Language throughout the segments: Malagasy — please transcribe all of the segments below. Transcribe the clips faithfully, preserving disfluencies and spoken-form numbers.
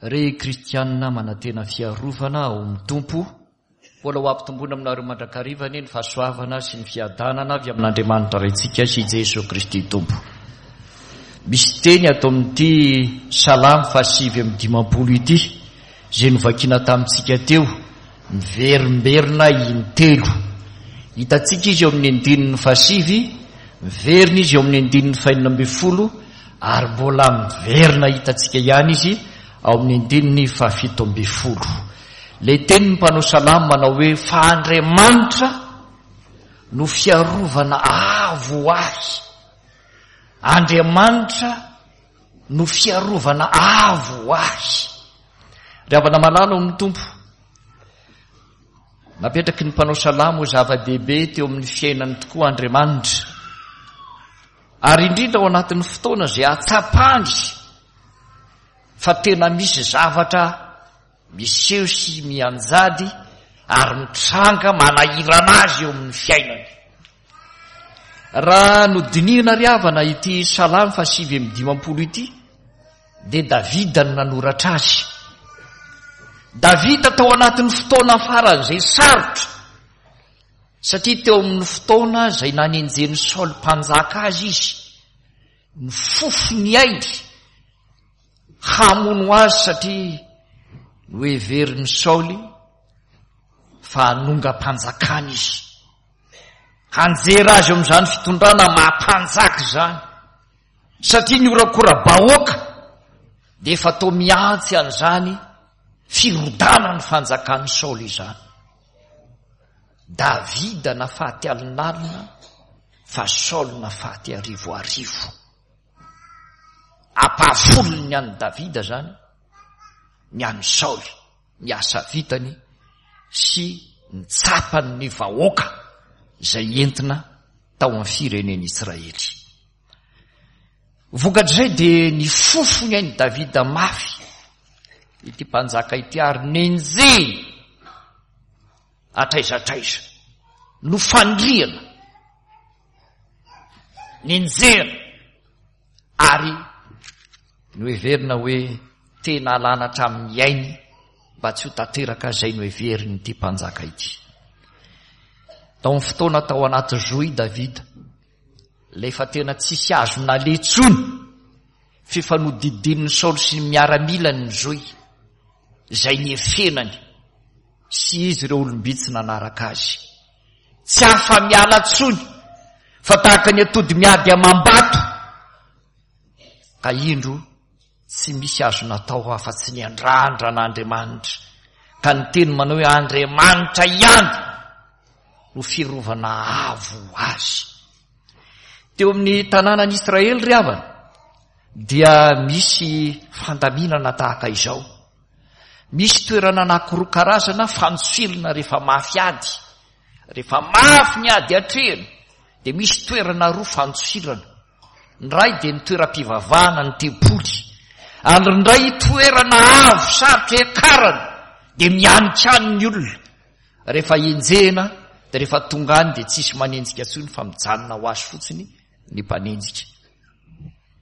Ry kristianina manantena fiarovana ao amin'ny Tompo, mbola ho ampitomboina aminareo mandrakariva anie ny fahasoavana sy ny fiadanana avy amin'Andriamanitra Raintsika sy Jesoa Kristy Tompo. Misy teny ato amin'ity Salamo fahasivy amby dimampolo ity, izay novakiana tamintsika teo, miverimberina intelo. Hitantsika izy eo amin'ny andininy fahasivy, miverina izy eo amin'ny andininy fahenina ambin'ny folo, ary mbola miverina hitantsika ihany izy ao amin'ny andininy fahafito ambin'ny folo. Ilay tenin'ny mpanao salamo manao hoe fa Andriamanitra no fiarovana avo ho ahy. Andriamanitra no fiarovana avo ho ahy. Ry havana malala ao amin'ny Tompo, napetraky ny mpanao salamo ho zava-dehibe teo amin'ny fiainany tokoa Andriamanitra. Ary indrindra ao anatin'ny fotoana izay ahatsapany fa tena misy zavatra miseho sy mianjady ary mitranga manahirana azy eo amin'ny fiainany. Raha nodinihina ry havana ity Salamo fahasivy amby dimampolo ity, dia Davida no nanoratra azy. Davida tao anatin'ny fotoana faran'izay sarotra, satria teo amin'ny fotoana izay nanenjen'i Saoly mpanjaka azy izy, nifofo ny ainy hamono azy satria noheverin'i Saoly fa hanongam-panjakana izy. Hanjera azy eo amin'izany fitondrana maha-mpanjaka izany, satria ny horakora-bahoaka dia efa toa mihantsy an'izany firodanan'ny fanjakan'i Saoly izany. Davida nafaty alinalina fa Saoly nafaty arivo arivo. Ampahafolony ny an'i Davida izany, ny an'i Saoly, ny asa vitany sy ny tsapan'ny vahoaka izay entina tao amin'ny firenen'Israely. Vokatr'izay dia nifofo ny ain'i Davida mafy ity mpanjaka ity ary nenjehiny hatraiza hatraiza, nofandrihana, nenjehina ary noheverina hoe tena alana hatramin'ny ainy mba tsy ho tanteraka izay noheverin'ity mpanjaka ity. Tao amin'ny fotoana tao anaty zohy Davida, ilay efa tena tsisy azo naleha intsony, fifanodidinin'i Saoly sy ny miaramilany ny zohy, izay niefenany sy izy ireo olom-bitsy nanaraka azy. Tsy afa-miala intsony fa tahaka ny atody miady amam-bato, ka indro tsy misy azo natao afa-tsy ny andrandra an'Andriamanitra, ka ny teny manao hoe Andriamanitra ihany no fiarovana avo ho azy. Teo amin'ny tanànan'i Israely ry havana dia misy fandaminana tahaka izao. Misy toerana anankiroa karazana fantsirina rehefa mafy ady. Rehefa mafy ny ady atrehina dia misy toerana roa fantsirana. Ny iray dia ny toeram-pivavahana, ny tempoly. Ary ny iray toerana avo sarotra hiakarana dia mihanikany ny olona. Rehefa enjehina dia rehefa tonga any dia tsisy manenjika intsony fa mijanona ho azy fotsiny ny mpanenjika.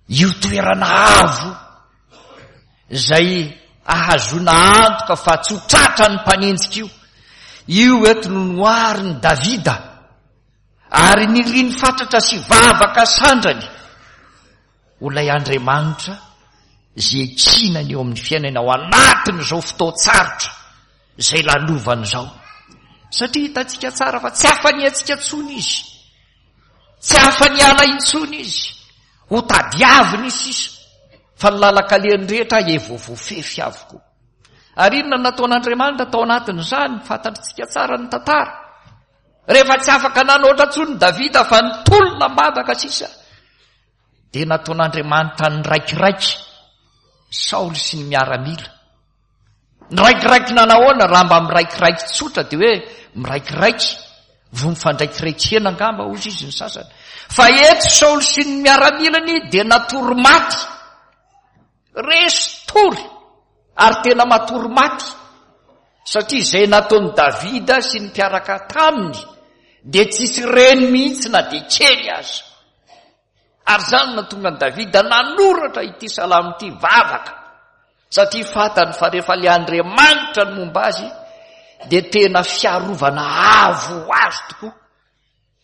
Io toerana avo izay ahazoana antoka fa tsy ho tratra ny mpanenjika io, io eto no noharin'i Davida ary niriny fatratra sy vavaka sandrany ho ilay Andriamanitra izay ekinany eo amin'ny fiainany ao anatin'izao fotoan-tsarotra izay lalovany izao. Satria hitantsika tsara fa tsy afa-niantsika intsony izy, tsy afa-niala intsony izy, ho tadiaviny sisa, fa ny lalan-kalehany rehetra efa voafefy avokoa. Ary inona no nataon'Andriamanitra tao anatin'izany? Fantatritsika tsara ny tantara. Rehefa tsy afaka nanoatra intsony Davida fa nitolona am-bavaka sisa, dia nataon'Andriamanitra niraikiraiky Saoly sy ny miaramila. Niraikiraiky nanahoana? Raha mba miraikiraiky tsotra dia hoe miraikiraiky, voa mifandraikiraiky hena angamba hozy izy ny sasany. Fa eto Saoly sy ny miaramilany dia natory maty, resy tory ary tena matory maty, satria izay nataon'i Davida sy ny mpiaraka taminy dia tsisy reny mihitsy na dia kely aza. Ary izany no nahatonga an'i Davida nanoratra ity salamo ity, vavaka Satria fantany fa rehefa ilay Andriamanitra ny momba azy dia tena fiarovana avo ho azy tokoa,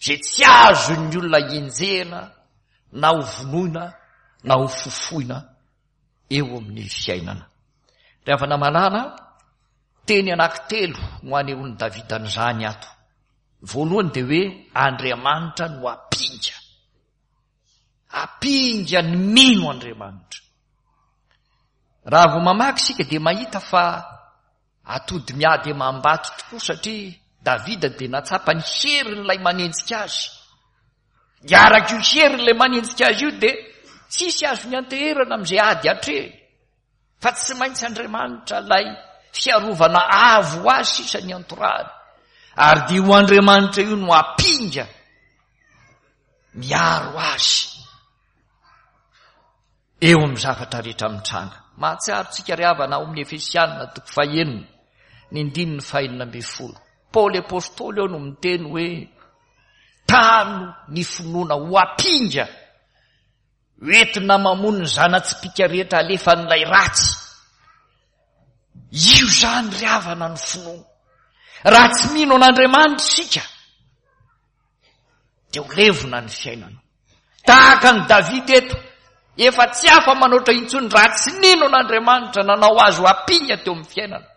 izay tsy azon'ny olona enjehina na ho vonoina na ho fofoina eo amin'ny fiainana. Ry havana malala, teny anankitelo no anehoan'i Davida an'izany ato. Voalohany dia hoe Andriamanitra no ampinga. Ampinga ny mino Andriamanitra. Raha vao mamaky isika dia mahita fa atody miady amam-bato tokoa, satria Davida dia nahatsapa ny herin'ilay manenjika azy. Dia araka io herin'ilay manenjika azy io dia tsisy azony anteherana amin'izay ady atrehiny, fa tsy maintsy Andriamanitra ilay fiarovana avo ho azy sisa ny antorahany. Ary dia io Andriamanitra io no ampinga miaro azy eo amin'ny zavatra rehetra mitranga. Mahatsiaro tsika ry havana ao amin'ny Efesianina toko fahenina, ny andininy fahenina ambin'ny folo. Paoly apostoly eo no miteny hoe tano ny finoana ho ampinga hoentina mamono ny zana-tsipìka rehetra alefan'ilay ratsy. Io izany ry havana ny finoana. Raha tsy mino an'Andriamanitra isika dia ho levona ny fiainana. Tahaka an'i Davida eto, efa tsy afa-manoatra intsony raha tsy nino an'Andriamanitra nanao azy ho ampinga teo amin'ny fiainana,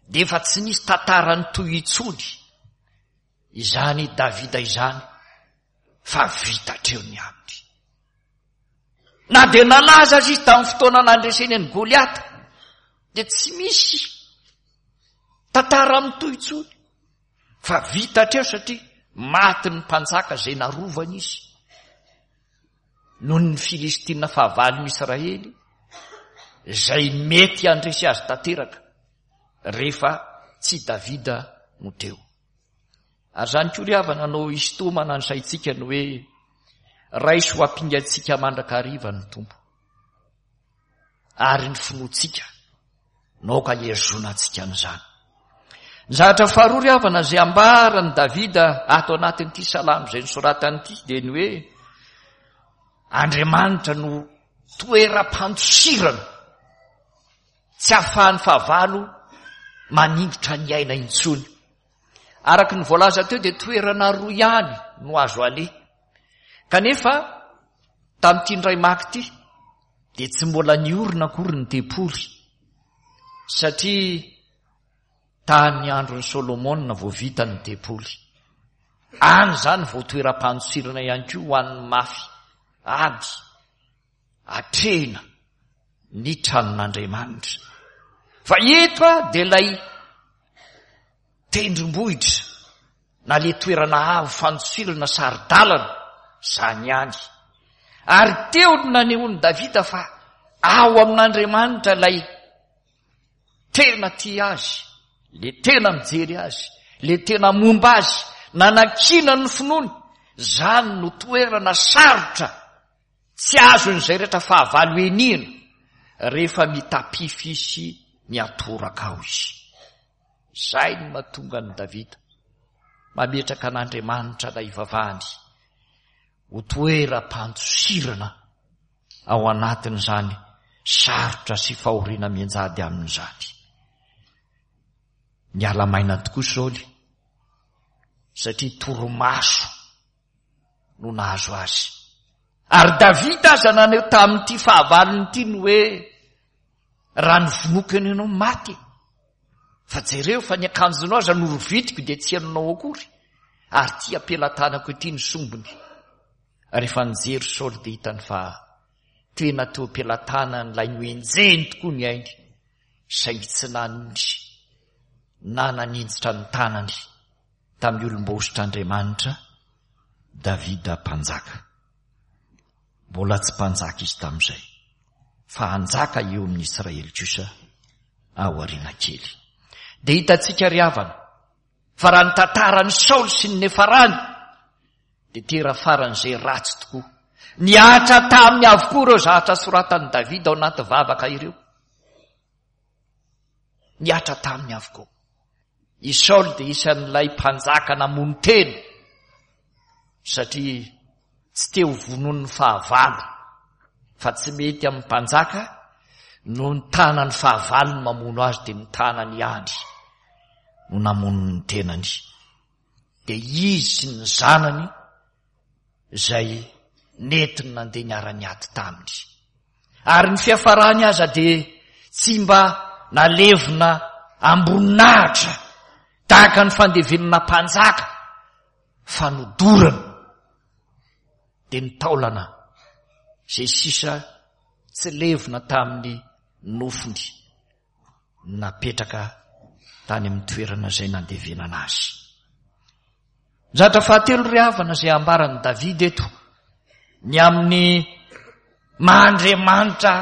dia efa tsy nisy tantara nitohy intsony izany Davida izany, fa vita hatreo ny aminy. Na dia nalaza azy izy tamin'ny fotoana nandreseny an'i Goliata, dia tsy misy tantara mitohy intsony, fa vita hatreo satria maty ny mpanjaka izay narovany izy noho ny Filistina fahavalon'i Israely izay mety handresy azy tanteraka rehefa tsy Davida no teo. Ary izany koa ry havana no hisintomana ny saintsika ny hoe raiso ho ampingantsika mandrakariva ny Tompo, ary ny finoantsika no aoka hihazonantsika an'izany. Ny zavatra faharoa ry havana izay ambaran'i Davida ato anatin'ity salamo izay nosoratany ity dia ny hoe Andriamanitra no toeram-pandosirana tsy ahafahan'ny fahavalo maningotra ny aina intsony. Araka ny voalaza teo dia toerana roa ihany no azo aleha. Kanefa tamin'ity indray maka ity dia tsy mbola niorina akory ny tempoly, satria tany andron'i Solomona vao vita ny tempoly. Any izany vao toeram-pandosirana ihany koa ho an'ny mafy ady atrehina ny tranon'Andriamanitra. Fa eto a dia ilay tendrombohitra na le toerana avo fandosirana saro-dalana izany ihany. Ary teo no nanehoan'i Davida fa ao amin'Andriamanitra ilay tena tia azy, le tena mijery azy, le tena momba azy, nanakiana ny finoany. Izany no toerana sarotra tsy azon'izay rehetra fahavalo enihina rehefa mitapify sy miatoraka ao izy. Izay no mahatonga an'i Davida mametraka an'Andriamanitra ilay ivavahany ho toeram-pandosirana ao anatin'izany sarotra sy fahoriana mianjady amin'izany. Niala maina tokoa Saoly satria torimaso no nahazo azy. Ary Davida aza naneho tamin'ity fahavalony ity ny hoe raha novonoiko eny ianao maty, fa jereo fa ny akanjonao aza norovitiko dia tsy henonao akory, ary ity am-pelatanako ity ny sombiny. Rehefa nijery Saoly dia hitany fa tena teo am-pelatanan'ilay noenjehiny tokoa ny ainy, saingy tsy nanindry na naninjitra ny tanany tamin'ny olom-boahosotr'Andriamanitra Davida mpanjaka. Mbola tsy mpanjaka izy tamin'izay, fa hanjaka eo amin'ny Israely kosa aoriana kely. Dia hitantsika ry havana fa raha ny tantaran'i Saoly sy ny nefarany dia tera faran'izay ratsy tokoa. Nihatra taminy avokoa ireo zavatra soratan'i Davida ao anaty vavaka ireo. Nihatra taminy avokoa. I Saoly dia isan'ilay mpanjaka namono tena satria tsy te ho vonoin'ny fahavalo, fa tsy mety amin'ny mpanjaka No ny tanan'ny fahavalony mamono azy dia ny tanany ihany no namono ny tenany. Dia izy sy ny zanany izay nentiny nandeha niara-niady taminy. Ary ny fiafarany aza dia tsy mba nalevina amboninahitra tahaka ny fandevenana mpanjaka fa nodorana. Dia ny taolana izay sisa tsy levona tamin'ny nofony napetraka tany amin'ny toerana izay nandevenana azy. Zavatra fahatelo ry havana izay ambaran'i Davida eto ny amin'ny maha Andriamanitra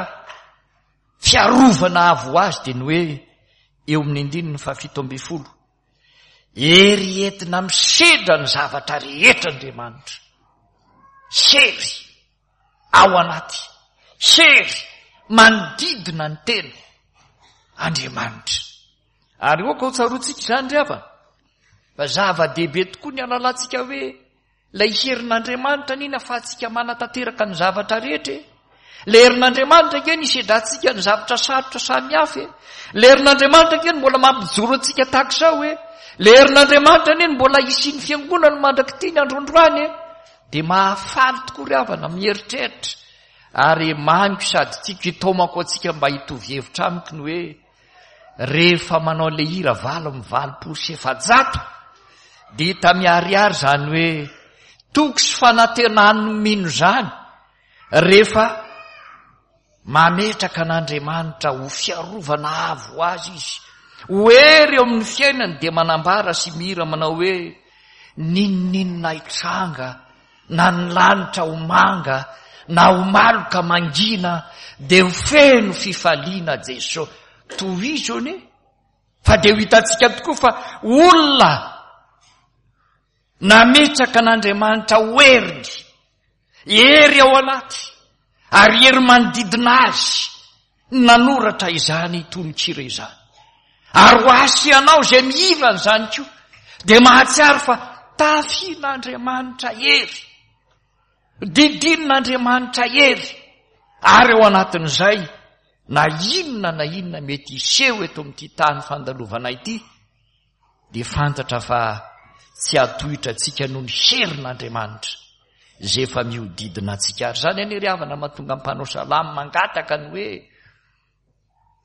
fiarovana avo ho azy dia ny hoe eo amin'ny andininy fahafito ambin'ny folo, hery entina misedra ny zavatra rehetra Andriamanitra. Hery ao anaty, hery manodidina ny tena Andriamanitra. Ary aoka ho tsaroantsika izany ry havana, fa zava-dehibe tokoa ny halalantsika hoe ilay herin'Andriamanitra anie nahafahantsika manatanteraka ny zavatra rehetra e. Ilay herin'Andriamanitra ange nisedrantsika ny zavatra sarotra samihafa e. Ilay herin'Andriamanitra ange no mbola mampijoro antsika tahaka izao e. Ilay herin'Andriamanitra anie no mbola hisian'ny fiangonana mandrak'ity ny androndroany e. Dia mahafaly tokoa ry havana mieritreritra ary mamiko sady tiako hitaomako antsika mba hitovy hevitra amiko ny hoe rehefa manao ilay hira valo amby valopolo sy efajato dia hita miharihary izany hoe toky sy fanantenan'ny mino izany rehefa mametraka an'Andriamanitra ho fiarovana avo ho azy izy, ho hery eo amin'ny fiainany, dia manambara sy mihira manao hoe n'inon'inona hitranga na ny lanitra ho manga na ho maloka mangina dia ho feno fifaliana Jeso. Tohizo anie fa dia ho hitantsika tokoa fa olona nametraka an'Andriamanitra ho heriny, hery ao anaty ary hery manodidina azy nanoratra izany tononkira izany. Ary ho ahy sy ianao izay mihira an'izany koa dia mahatsiaro fa tafian'Andriamanitra hery, didin'Andriamanitra hery, ary ao anatin'izay na inona na inona mety hiseho eto amin'ity tany fandalovana ity dia fantatra fa tsy hatohitra antsika noho ny herin'Andriamanitra izay efa mihodidina antsika. Ary izany anie ry havana mahatonga mpanao salamo mangataka ny hoe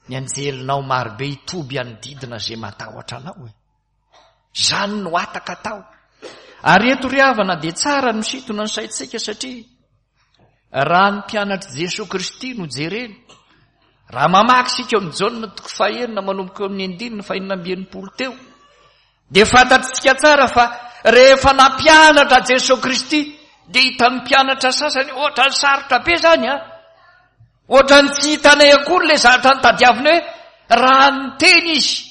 ny anjelinao marobe hitoby hanodidina izay matahotra anao e. Izany no hataka atao. Ary eto ry havana dia tsara ny misintona ny saintsika satria raha ny mpianatr'i Jesoa Kristy no jerena, raha mamaky isika eo amin'ny Jaona toko fahenina manomboka eo amin'ny andininy fahenina amby enimpolo teo, dia fantatritsika tsara fa rehefa nampianatra Jesoa Kristy dia hitan'ny mpianatra sasany ohatran'ny sarotra be izany a, ohatran'ny tsy hitanay akory ilay zavatra nitadiaviny hoe raha niteny izy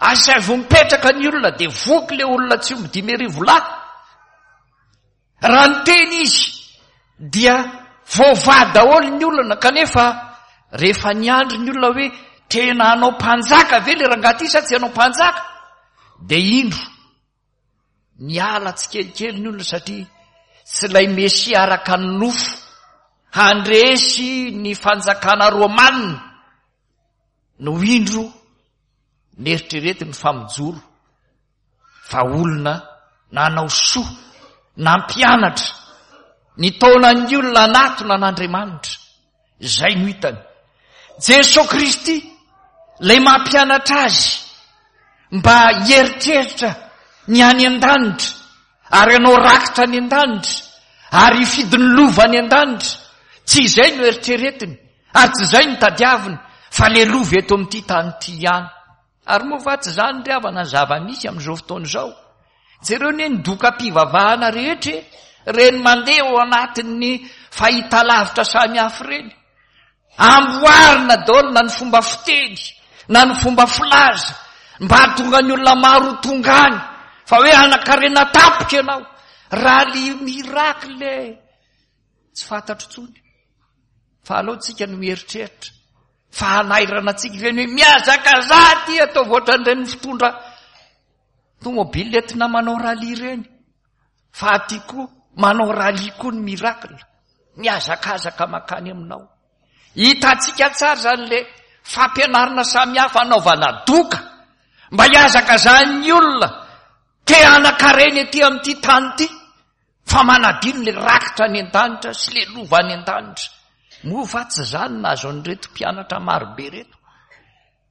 asaivo mipetraka ny olona dia voky ilay olona tsy omby dimy arivo lahy. Raha niteny izy dia voavaha daholo ny olona, kanefa rehefa niandry ny olona hoe tena hanao mpanjaka ve ilay rangahy ity sa tsy hanao mpanjaka, dia indro niala tsikelikely ny olona satria tsy ilay Mesia araka ny nofo handresy ny fanjakana romanina no indro neritreretiny fa mijoro fa olona nanao soa, nampianatra, nitaona ny olona hanatona an'Andriamanitra. Izay no hitany. Jesoa Kristy, ilay mampianatra azy mba hieritreritra ny any an-danitra ary hanao rakitra any an-danitra ary hifidy ny lova any an-danitra. Tsy izay no eritreretiny ary tsy izay no tadiaviny fa le lova eto amin'ity tany ity ihany. Ary moa va tsy izany ry havana ny zava-misy amin'izao fotoana izao? Jereo anie ny dokam-pivavahana rehetra e, ireny mandeha ao anatin'ny fahitalavitra samihafa ireny. Amboarina daholo na ny fomba fiteny na ny fomba filaza mba hahatonga ny olona maro ho tonga any fa hoe hanan-karena tampoka ianao. Raha le miracle tsy fantatro intsony fa aleo tsika no mieritreritra fa hanairana antsika ireny hoe mihazakazaha aty ataovy ohatran'ireny fitondra tomobile entina manao rallye ireny fa aty koa manao rallye koa ny miracle mihazakazaka makany aminao. Hitantsika tsara izany le fampianarana samihafa anaovana doka mba hihazakazahan'ny olona te hanan-karena ety amin'ity tany ity, fa manadino le rakitra any an-danitra sy le lova any an-danitra. Moa va tsy izany nahazo an'ireto mpianatra marobe ireto?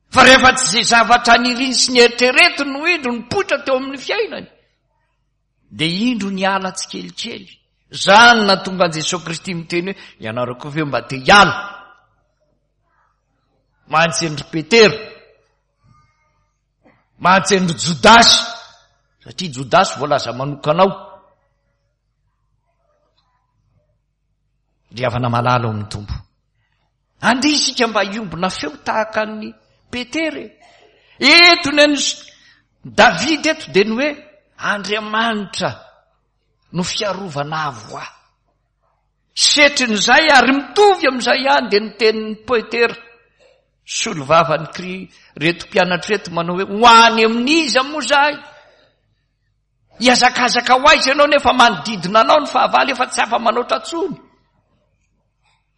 Fa rehefa tsy izay zavatra niriny sy nieritreretiny no indro nipoitra teo amin'ny fiainany, dia indro niala tsikelikely. Izany nahatonga an'i Jesoa Kristy miteny hoe, ianareo koa ve mba te hiala? Mantsy an-dry Petera, mantsy an-dry Jodasy, satria Jodasy voalaza manokana ao. Ry havana malala ao amin'ny Tompo, andeha isika mba hiombona feo tahaka an'i Petera e. Eto ny an'i David eto dia ny hoe Andriamanitra no fiarovana avo ahy. Setrin'izay ary mitovy amin'izay ihany dia ny tenin'i Petera, solovavan'ny kri reto mpianatra reto manao hoe ho any amin'iza moa izahay? Hihazakazaka ho aiza ianao nefa manodidina anao ny fahavalo efa tsy afa-manoatra intsony?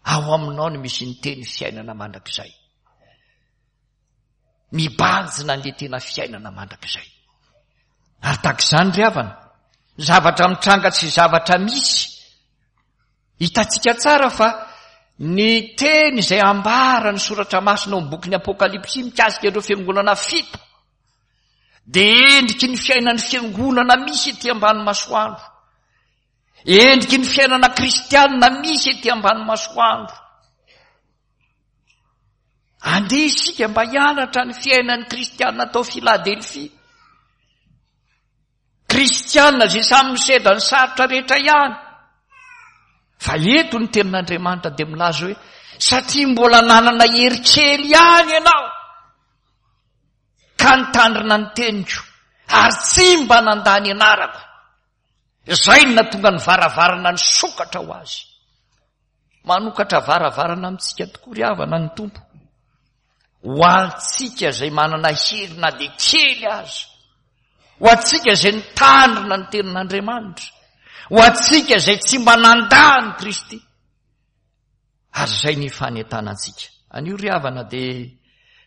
Ao aminao no misy ny teny fiainana mandrakizay. Mibanjina an'ilay tena fiainana mandrakizay. Ary tahaka izany ry havana, zavatra mitranga sy zavatra misy. Hitantsika tsara fa ny teny izay ambara ny soratra masina ao amin'ny bokin'ny Apokalypsy mikasika ireo fiangonana fito dia endriky ny fiainan'ny fiangonana misy ety ambany masoandro. Endriky ny fiainana kristianina misy ety ambany masoandro. Andeha isika mba hianatra ny fiainan'ny kristianina tao Filadelfia. Kristianina izay samy misedra ny sarotra rehetra ihany. Fa eto ny tenin'Andriamanitra dia milaza hoe satria mbola nanana hery kely ihany ianao ka nitandrina ny teniko ary tsy mba nandà ny anarako. Izay no nahatonga ny varavarana nisokatra ho azy. Manokatra varavarana amintsika tokoa ry havana ny Tompo. Ho antsika izay manana hery na dia kely aza. Ho antsika izay nitandrina ny tenin'Andriamanitra. Ho antsika izay tsy mba nandà an'i Kristy. Ary izay ny fanentanantsika. Anio ry havana dia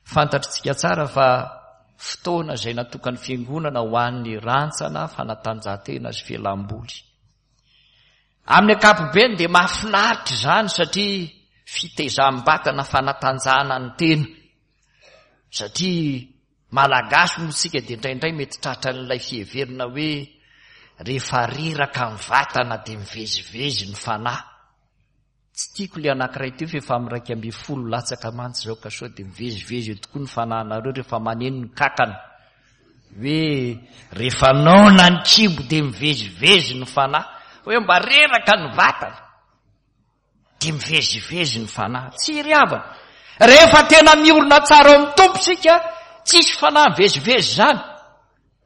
fantatritsika tsara fa fotoana izay natokan'ny fiangonana ho an'ny rantsana, fanatanjahantena sy fialamboly. Amin'ny ankapobeny dia mahafinaritra izany satria fitezam-batana, fanatanjahana ny tena. Satria Malagasy moa isika dia indraindray mety tratran'ilay fiheverana hoe rehefa reraka ny vatana dia mivezivezy ny fanahy. Tsy tiako ilay anankiray teo fa efa amin'ny iraika ambin'ny folo latsaka mantsy izao ka sao dia mivezivezy eo tokoa ny fanahinareo rehefa maneno ny kankana. Hoe rehefa noana ny kibo dia mivezivezy ny fanahy. Hoe mba reraka ny vatana dia mivezivezy ny fanahy. Tsy ry havana. Rehefa tena miorina tsara ao amin'ny Tompo isika, tsisy fanahy mivezivezy izany.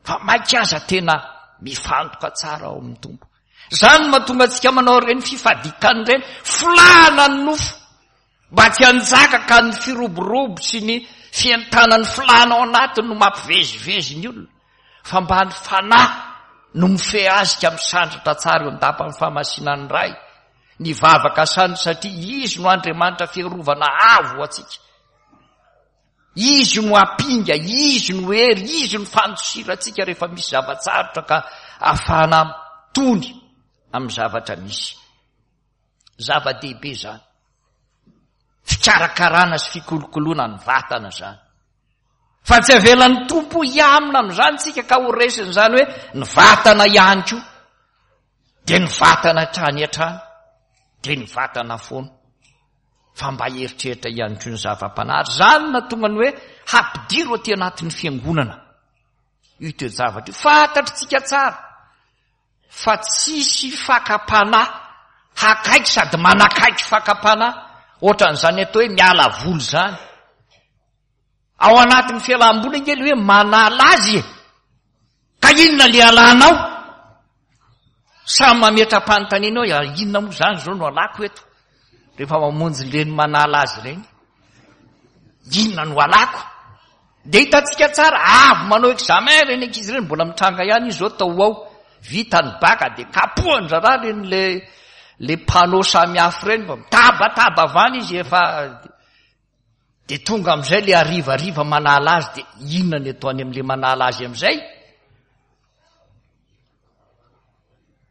Fa mainka aza tena mifantoka tsara ao amin'ny Tompo. Izany no mahatonga antsika manao ireny fifadian-kanina ireny, folahana ny nofo, mba tsy hanjaka ka ny firoborobo sy ny fientanan'ny filàna ao anatiny no mampivezivezy ny olona, fa mba ny fanahy no mifehy azy ka misandratra tsara eo an-dapan'ny fahamasinan'ny Ray, ny vavaka sany satria Izy no Andriamanitra fiarovana avo ho antsika. Izy no ampinga, Izy no hery, Izy no fandosirantsika rehefa misy zava-tsarotra ka ahafahana mitony amin'ny zavatra misy. Zava-dehibe izany. Fikarakarana sy fikolokoloana ny vatana izany. Fa tsy avelan'ny Tompo hiamina amin'izany tsika ka ho resin'izany hoe ny vatana ihany koa. Dia ny vatana hatrany hatrany, dia ny vatana foana. Fa mba hieritreritra ihany koa ny zava-panahy. Ary izany no nahatonga ny hoe hampidiro aty anatin'ny fiangonana io toe-javatra io. Fantatritsika tsara fa tsisy fakam-panahy hakaiky sady manakaiky fakam-panahy ohatran'izany atao hoe miala voly izany. Ao anatin'ny fialam-boly ange le hoe manala azy e. Ka inona le alanao? Samy mametra-panontaniana hoe ah, inona moa izany izao no alako eto? Rehefa mamonjy ireny manala azy ireny, inona no alako? Dia hitantsika tsara, avy manao examen ireny ankizy ireny, mbola mitranga ihany izy izao tao ho ao. Vita ny bac dia kapohan-draharaha ireny le, le panneau samihafa ireny, fa mitabataba avy any izy efa Dia tonga amin'izay le harivariva manala azy, dia inona ny ataony amin'le manala azy amin'izay?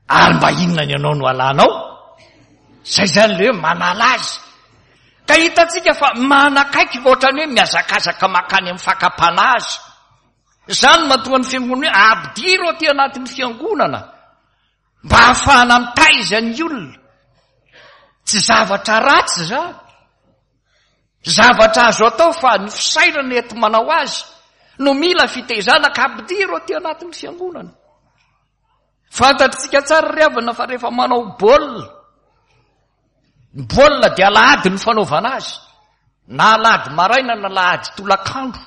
Ary mba inona ny anao no alanao? Zay zany le hoe manala azy. Ka hitantsika fa manakaiky ohatrany hoe mihazakazaka mankany amin'ny fakam-panahy azy. Izany no mahatonga ny fiangonana hoe ampidiro aty anatin'ny fiangonana mba hahafahana mitaiza ny olona. Tsy zavatra ratsy izany. Zavatra azo atao fa ny fisainana eto manao azy no mila fitaizana ka ampidiro aty anatin'ny fiangonana. Fantatritsika tsara ry havana fa rehefa manao baolina, ny baolina dia alahady ny fanaovana azy, na alahady maraina na alahady tolakandro.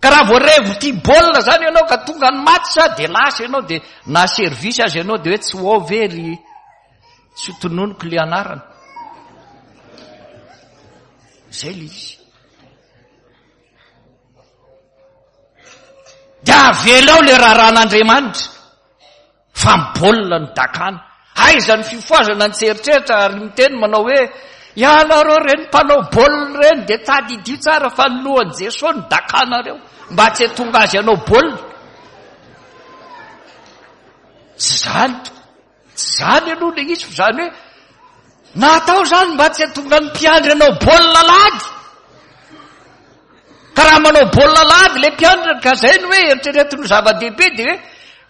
Ka raha vao revo tia baolina zany ianao ka tonga ny match dia lasa ianao, dia na service azy ianao dia hoe tsy ho ao ve ry tsy ho tononiko le anarana. Zay le izy. Dia avelao le raharahan'Andriamanitra fa ny baolina no dakana. Aiza ny fifohazana ny tseritreritra ary miteny manao hoe ianareo ireny mpanao baolina ireny dia tadidio tsara fa ny lohan'i Jesoa no dakanareo mba tsy hahatonga azy hanao baolina. Tsy izany, tsy izany aloha ilay izy fa izany hoe natao izany mba tsy hahatonga ny mpiandry hanao baolina alahady. Ka raha manao baolina alahady ilay mpiandry ka izay no hoe eritreretiny ho zava-dehibe dia hoe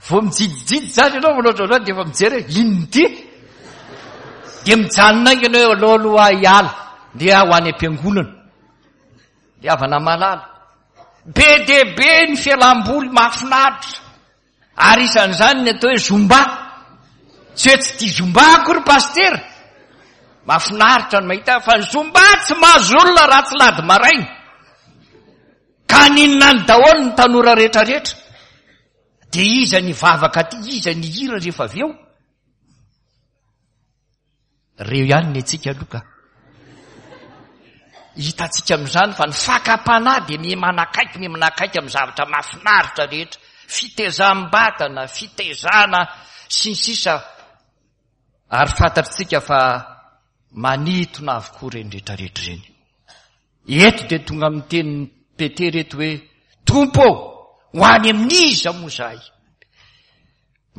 vao mijidijijy izany ianao manao ohatran'izany dia efa mijery hoe inona ity? Dia mijanona haingana hoe aleo aloha aho hiala, ndeha ho any am-piangonana. Ry havana malala, be dia be ny fialam-boly mahafinaritra, ary isan'izany ny atao hoe zumba. Tsy hoe tsy tia zumba akory pasitera, mahafinaritra ny mahita fa ny zumba tsy mahazo olona raha tsy lady maraina. Ka haninona any daholo ny tanora rehetrarehetra? Dia iza ny hivavaka aty, iza ny hihira rehefa avy eo? Reo ihany ny antsika aloha ka. Hitantsika amin'izany fa ny fakam-panahy dia miha manakaiky, miha manakaiky amin'ny zavatra mahafinaritra rehetra. Fitezam-batana, fitezana sy ny sisa. Ary fantatritsika fa manintona avokoa ireny rehetrarehetra ireny. Eto dia tonga amin'ny tenin'i Petera eto hoe, Tompo ô, ho any amin'iza moa izahay?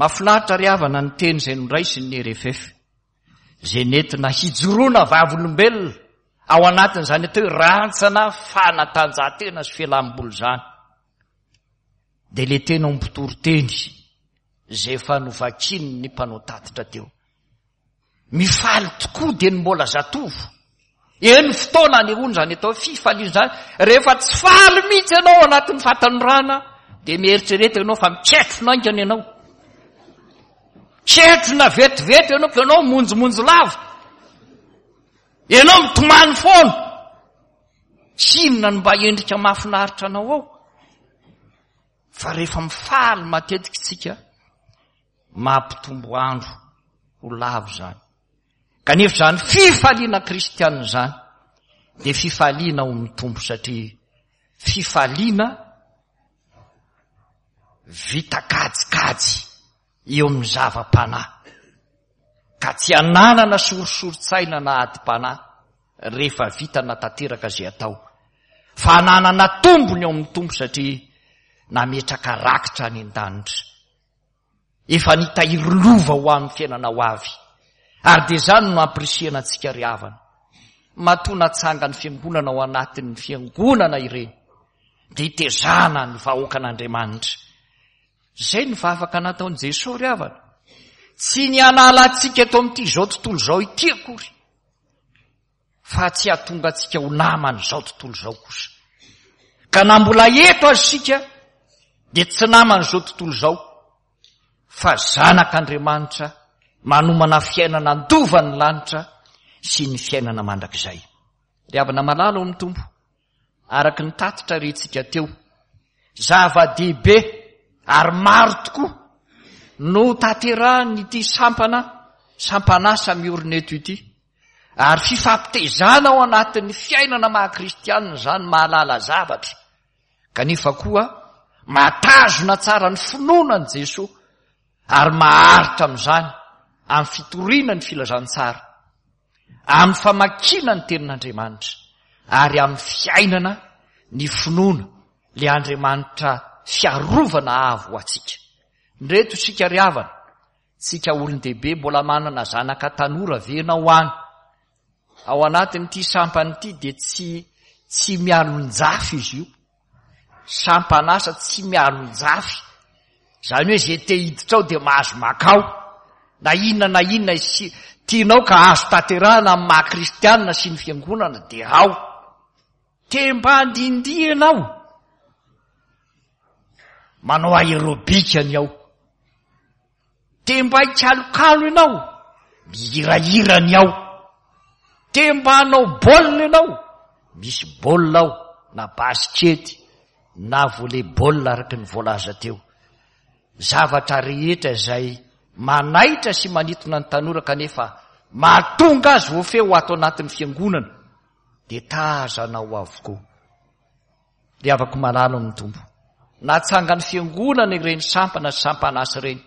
Mahafinaritra ry havana ny teny izay noraisin'ny R F F, izay nentina hijoroana vavolombelona ao anatin'izany atao hoe rantsana fanatanjahantena sy fialam-boly izany. Dia ilay teny ao mpitoriteny izay efa novakian'ny mpanao tatitra teo. Mifaly tokoa dia ny mbola zatovo. Eny fotoana anehoana izany atao hoe fifaliana izany. Rehefa tsy faly mihitsy ianao ao anatin'ny fahatanorana dia mieritrereta ianao fa miketrona haingana ianao. Ketrona vetivety ianao ka ianao monjomonjo lava. Ianao mitomany foana. Tsy inona no mba endrika mahafinaritra anao ao. Fa rehefa mifaly matetika isika, mampitombo andro ho lava izany. Kanefa izany fifaliana kristianina izany dia fifaliana ao amin'ny Tompo, satria fifaliana vita kajikajy eo amin'ny zava-panahy, ka tsy ananana sorisorin-tsaina na adim-panahy rehefa vita na tanteraka izay atao, fa ananana tombony ao amin'ny Tompo, satria nametraka rakitra any an-danitra, efa nitahiry lova ho amin'ny fiainana ho avy. Ary dia izany no ampirisihana antsika ry havana. Matoa natsangan'ny fiangonana ao anatin'ny fiangonana ireny, dia hitezana ny vahoakan'Andriamanitra. Izay ny vavaka nataon'i Jesoa ry havana. Tsy ny hanala antsika eto amin'ity izao tontolo izao ity akory, fa tsy hahatonga antsika ho naman'izao tontolo izao kosa. Ka na mbola eto aza isika dia tsy naman'izao tontolo izao, fa zanak'Andriamanitra manomana fiainana handova ny lanitra sy ny fiainana mandrakizay. Ry havana malala ao amin'ny Tompo, araka ny tatitra rentsika teo, zava-dehibe ary maro tokoa no tanterahin'ity sampana, sampan'asa miorina eto ity. Ary fifampitezana ao anatin'ny fiainana maha kristianina izany, mahalala zavatra, kanefa koa mahatazona tsara ny finoana an'i Jesoa ary maharitra amin'izany amin'ny fitoriana ny filazantsara, amin'ny famakiana ny tenin'Andriamanitra, ary amin'ny fiainana ny finoana le Andriamanitra fiarovana avo ho antsika. Ndreto isika ry havana, tsika olon-dehibe mbola manana zanaka tanora ve ianao any? Ao anatin'ity sampana ity dia tsy tsy mialon-jafy izy io. Sampan'asa tsy mialon-jafy. Izany hoe izay te hiditra ao dia mahazo makao. Na inona na inona isi-, tianao ka azo tanterahana amin'ny maha kristianina sy ny fiangonana dia ao. Te mba handindihy ianao. Manao aérobika ny ao. Te mba hikalokalo ianao. Mihirahira ny ao. Te mba hanao baolina ianao. Misy baolina ao, na basikety, na volley-ball araka ny voalaza teo. Zavatra rehetra izay manaitra sy manintona ny tanora kanefa mahatonga azy voafehy ho ato anatin'ny fiangonana dia tazanao avokoa. Ry havako malala amin'ny Tompo, natsangan'ny fiangonana ireny sampana sy sampan'asa ireny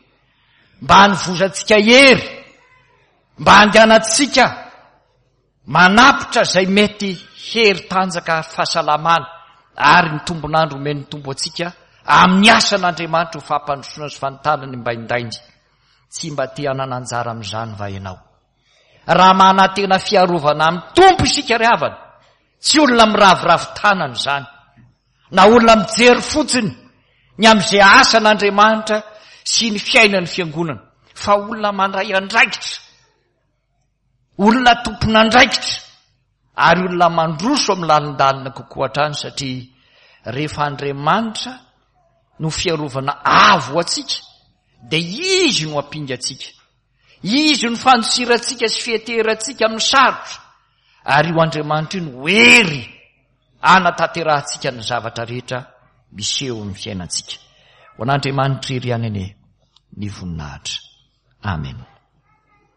mba hanovozantsika hery, mba handehanantsika manapitra izay mety hery tanjaka fahasalamana ary ny tombon'andro omen'ny Tompo antsika amin'ny asan'Andriamanitra ho fampandrosoana sy fanontana ny mbaindainy. Tsy mba te hanana anjara amin'izany va ianao? Raha manantena fiarovana amin'ny Tompo isika ry havana, tsy olona miraviravy tanana izany, na olona mijery fotsiny ny amin'izay asan'Andriamanitra sy ny fiainan'ny fiangonana, fa olona mandray andraikitra, olona tompon'andraikitra, ary olona mandroso amin'ny lalindalina kokoa hatrany, satria rehefa Andriamanitra no fiarovana avo ho antsika, dia Izy no ampinga antsika, Izy no fandosirantsika sy fiheterantsika amin'ny sarotra, ary io Andriamanitra io no hery anatanterahantsika ny zavatra rehetra miseho amin'ny fiainantsika. Ho an'Andriamanitra irery ihany anie ny voninahitra. Amen.